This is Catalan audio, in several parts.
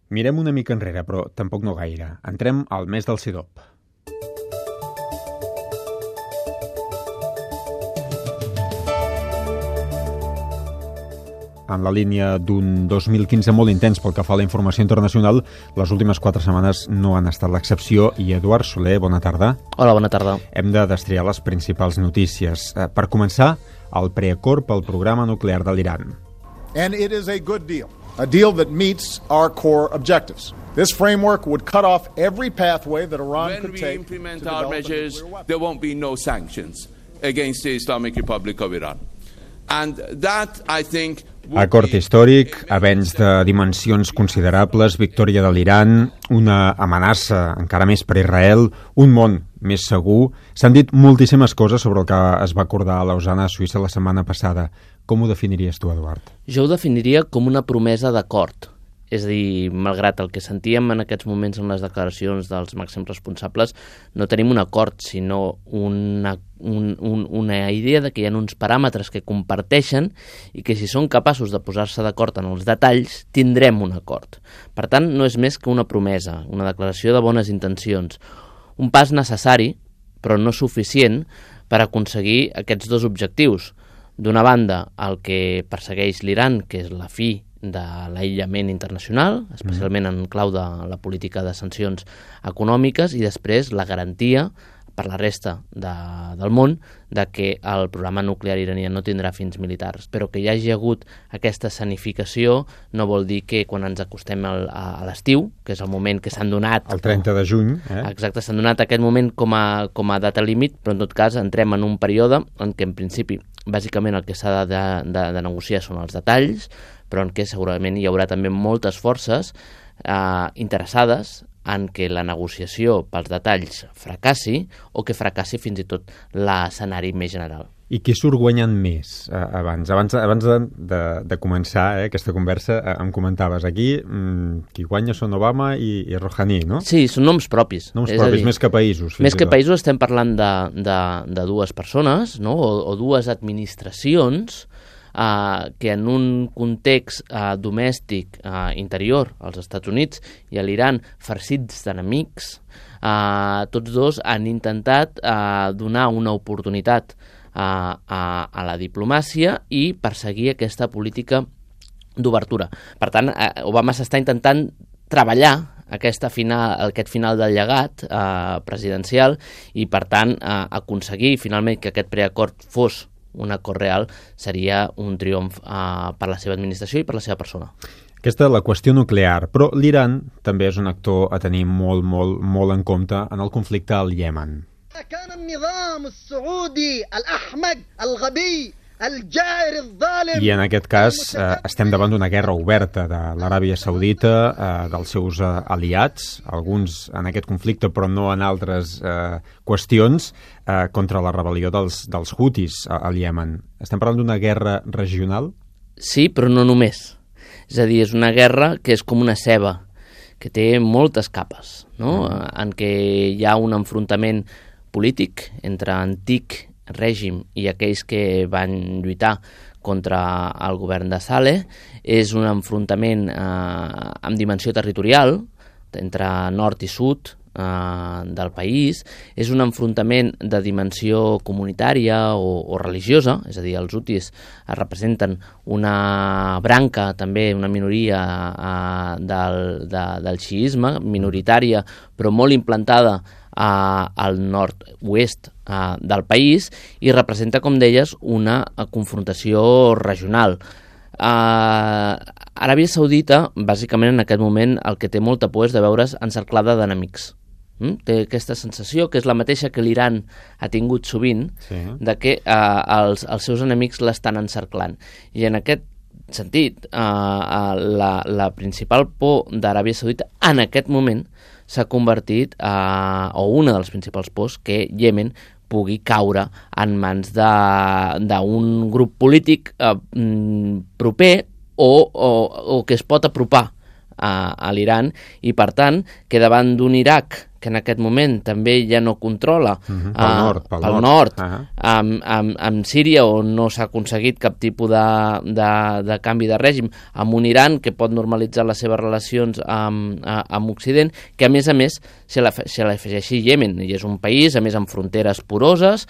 Mirem una mica enrere, però tampoc no gaire. Entrem al mes del Sidop. En la línia d'un 2015 molt intens pel que fa a la informació internacional, les últimes 4 setmanes no han estat l'excepció. I Eduard Soler, bona tarda. Hola, bona tarda. Hem de destriar les principals notícies. Per començar, el preacord pel programa nuclear de l'Iran. And it is a good deal. A deal that meets our core objectives. This framework would cut off every pathway that Iran could take to implement develop our measures, a nuclear weapon. there won't be no sanctions against the Islamic Republic of Iran. And that, I think, Acord històric, avenç de dimensions considerables, victòria de l'Iran, una amenaça encara més per Israel, un món més segur. S'han dit moltíssimes coses sobre el que es va acordar a Lausana, a Suïssa, la setmana passada. Com ho definiries tu, Eduard? Jo ho definiria com una promesa d'acord. És a dir, malgrat el que sentíem en aquests moments en les declaracions dels màxims responsables, no tenim un acord, sinó una idea de que hi ha uns paràmetres que comparteixen i que si són capaços de posar-se d'acord en els detalls, tindrem un acord. Per tant, no és més que una promesa, una declaració de bones intencions. Un pas necessari, però no suficient, per aconseguir aquests dos objectius. D'una banda, el que persegueix l'Iran, que és la fi de l'aïllament internacional, especialment en clau de la política de sancions econòmiques, i després la garantia per la resta del món de que el programa nuclear iranià no tindrà fins militars. Però que hi hagi hagut aquesta escenificació no vol dir que quan ens acostem a l'estiu, que és el moment que s'han donat... El 30 de juny. Exacte, s'han donat aquest moment com a data límit, però en tot cas entrem en un període en què en principi bàsicament el que s'ha de negociar són els detalls, però en què segurament hi haurà també moltes forces interessades en què la negociació pels detalls fracassi o que fracassi fins i tot l'escenari més general. I qui surt guanyant més? Abans de començar aquesta conversa em comentaves aquí qui guanya són Obama i Rouhani, no? Sí, són noms propis. Noms propis, més que països. Més que països estem parlant de dues persones, no? o dues administracions que en un context domèstic interior als Estats Units i a l'Iran farcits d'enemics, tots dos han intentat donar una oportunitat a la diplomàcia i perseguir aquesta política d'obertura. Per tant, Obama s'està intentant treballar aquest final del llegat presidencial i, per tant, aconseguir finalment que aquest preacord fos un acord real seria un triomf per la seva administració i per la seva persona. Aquesta és la qüestió nuclear, però l'Iran també és un actor a tenir molt, molt, molt en compte en el conflicte al Iemen. I en aquest cas estem davant d'una guerra oberta de l'Aràbia Saudita, dels seus aliats, alguns en aquest conflicte però no en altres qüestions, contra la rebel·lió dels Houthis al Iemen. Estem parlant d'una guerra regional? Sí, però no només. És a dir, és una guerra que és com una ceba, que té moltes capes, no? En què hi ha un enfrontament polític entre antic règim i aquells que van lluitar contra el govern de Saleh. És un enfrontament amb dimensió territorial entre nord i sud del país. És un enfrontament de dimensió comunitària o religiosa, és a dir, els Houthis representen una branca, també una minoria del xiisme, minoritària però molt implantada al nord-oest del país, i representa, com deies, una confrontació regional. Aràbia Saudita, bàsicament en aquest moment, el que té molta por és de veure's encerclada d'enemics. Té aquesta sensació, que és la mateixa que l'Iran ha tingut sovint, de que els seus enemics l'estan encerclant. I en aquest sentit, la principal por d'Aràbia Saudita en aquest moment s'ha convertit, o una de les principals pors, que Iemen pugui caure en mans d'un grup polític proper o que es pot apropar a l'Iran, i per tant que davant d'un Iraq que en aquest moment també ja no controla pel nord. Amb Síria, on no s'ha aconseguit cap tipus de canvi de règim, amb un Iran que pot normalitzar les seves relacions amb Occident, que a més se l'afegeixi Iemen, i és un país, a més, amb fronteres poroses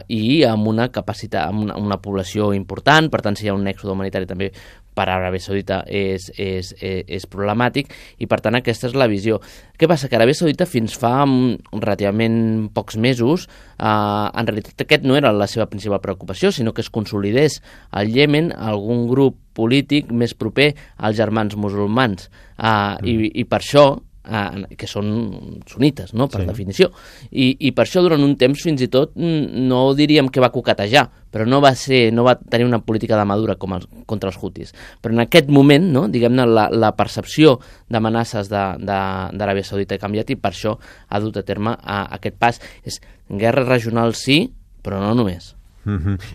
i amb una capacitat, amb una població important. Per tant, si hi ha un èxode humanitari també per Aràbia Saudita és problemàtic, i per tant aquesta és la visió. Què passa? Que Aràbia Saudita fins fa relativament pocs mesos, en realitat aquest no era la seva principal preocupació, sinó que es consolidés al Iemen algun grup polític més proper als germans musulmans, i per això, que són sunites, no?, per definició, i per això durant un temps fins i tot no diríem que va coquetejar, però no va tenir una política de madura contra els hutis. Però en aquest moment, no, diguem-ne, la percepció d'amenaces d'Aràbia Saudita ha canviat, i per això ha dut a terme aquest pas. És guerra regional, sí, però no només.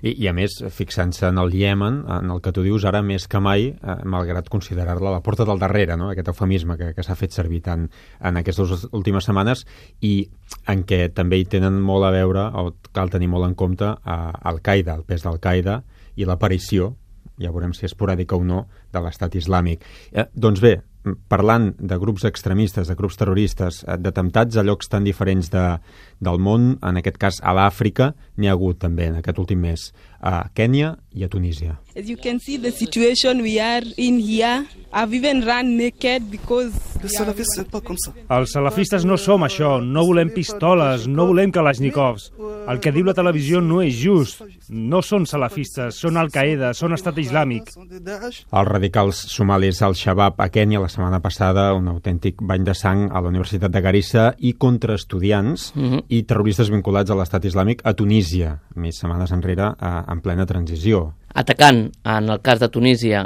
I a més, fixant-se en el Iemen, en el que tu dius ara més que mai, malgrat considerar-la la porta del darrere, no?, aquest eufemisme que s'ha fet servir tant en aquestes últimes setmanes, i en què també hi tenen molt a veure, o cal tenir molt en compte, Al-Qaeda, el pes d'Al-Qaeda i l'aparició, ja veurem si és esporàdica o no, de l'Estat Islàmic. Doncs bé, parlant de grups extremistes, de grups terroristes, d'atemptats a llocs tan diferents del món, en aquest cas a l'Àfrica, n'hi ha hagut també en aquest últim mes, a Kènia i a Tunísia. As you can see, the situation we are in here, I've even run naked because... Els salafistes no som això, no volem pistoles, no volem kalashnikovs. El que diu la televisió no és just. No són salafistes, són Al-Qaeda, són Estat Islàmic. Els radicals somalis al-Shabaab a Kènia la setmana passada, un autèntic bany de sang a la Universitat de Garissa, i contra estudiants i terroristes vinculats a l'Estat Islàmic a Tunísia, més setmanes enrere, en plena transició. Atacant, en el cas de Tunísia,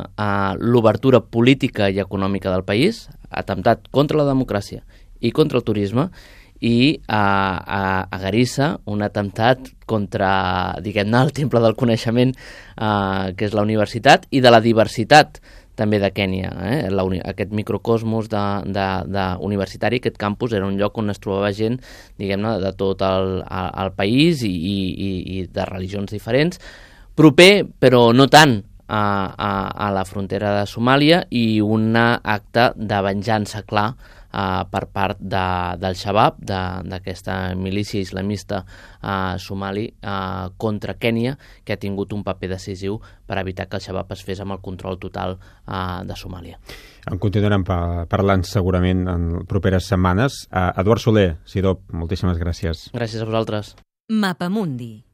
l'obertura política i econòmica del país, atemptat contra la democràcia i contra el turisme, i a Garissa un atemptat contra, diguem-ne, el temple del coneixement, que és la universitat, i de la diversitat també de Kènia. Aquest microcosmos universitari, aquest campus, era un lloc on es trobava gent, diguem-ne, de tot el país i de religions diferents, proper, però no tant, a la frontera de Somàlia, i un acte de venjança clar per part del Shabab, d'aquesta milícia islamista somali, contra Kènia, que ha tingut un paper decisiu per evitar que el Shabab es fes amb el control total de Somàlia. En continuarem parlant segurament en properes setmanes. Eduard Soler, Sidop, moltíssimes gràcies. Gràcies a vosaltres. Mapamundi.